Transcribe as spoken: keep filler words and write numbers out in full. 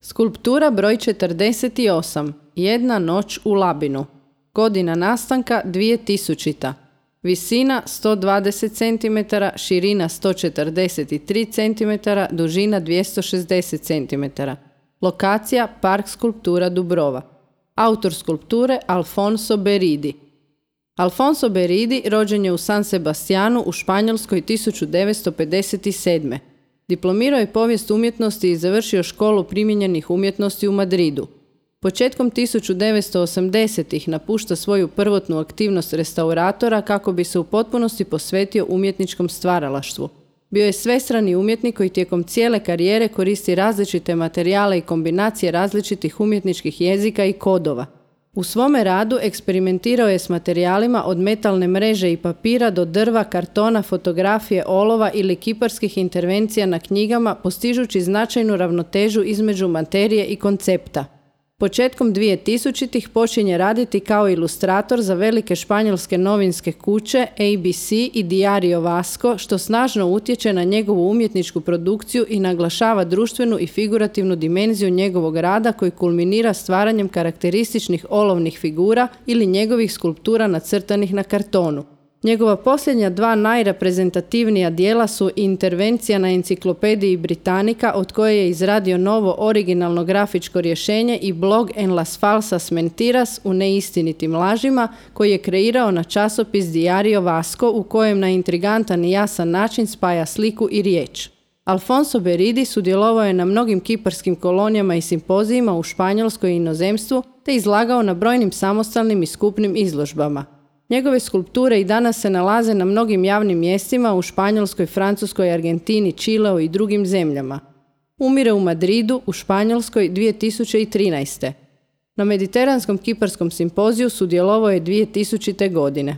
Skulptura broj četrdeset osam. Jedna noć u Labinu. Godina nastanka dvije tisućita. Visina sto dvadeset centimetara, širina sto četrdeset tri centimetra, dužina dvjesto šezdeset centimetara. Lokacija Park skulptura Dubrova. Autor skulpture Alfonso Beridi. Alfonso Beridi rođen je u San Sebastianu u Španjolskoj tisuću devetsto pedeset sedme. Diplomirao je povijest umjetnosti i završio školu primijenjenih umjetnosti u Madridu. Početkom tisuću devetsto osamdesetih napušta svoju prvotnu aktivnost restauratora kako bi se u potpunosti posvetio umjetničkom stvaralaštvu. Bio je svestrani umjetnik koji tijekom cijele karijere koristi različite materijale i kombinacije različitih umjetničkih jezika i kodova. U svome radu eksperimentirao je s materijalima od metalne mreže i papira do drva, kartona, fotografije, olova ili kiparskih intervencija na knjigama, postižući značajnu ravnotežu između materije i koncepta. Početkom dvije tisućitih počinje raditi kao ilustrator za velike španjolske novinske kuće A B C i Diario Vasco, što snažno utječe na njegovu umjetničku produkciju i naglašava društvenu i figurativnu dimenziju njegovog rada koji kulminira stvaranjem karakterističnih olovnih figura ili njegovih skulptura nacrtanih na kartonu. Njegova posljednja dva najreprezentativnija dijela su Intervencija na enciklopediji Britannica, od koje je izradio novo originalno grafičko rješenje, i blog En las falsas mentiras, u neistinitim lažima, koji je kreirao na časopis Diario Vasco, u kojem na intrigantan i jasan način spaja sliku i riječ. Alfonso Beridi sudjelovao je na mnogim kiparskim kolonijama i simpozijima u Španjolskoj i inozemstvu, te izlagao na brojnim samostalnim i skupnim izložbama. Njegove skulpture i danas se nalaze na mnogim javnim mjestima u Španjolskoj, Francuskoj, Argentini, Čileu i drugim zemljama. Umire u Madridu u Španjolskoj dvije tisuće trinaeste. Na Mediteranskom kiparskom simpoziju sudjelovao je dvije tisućite godine.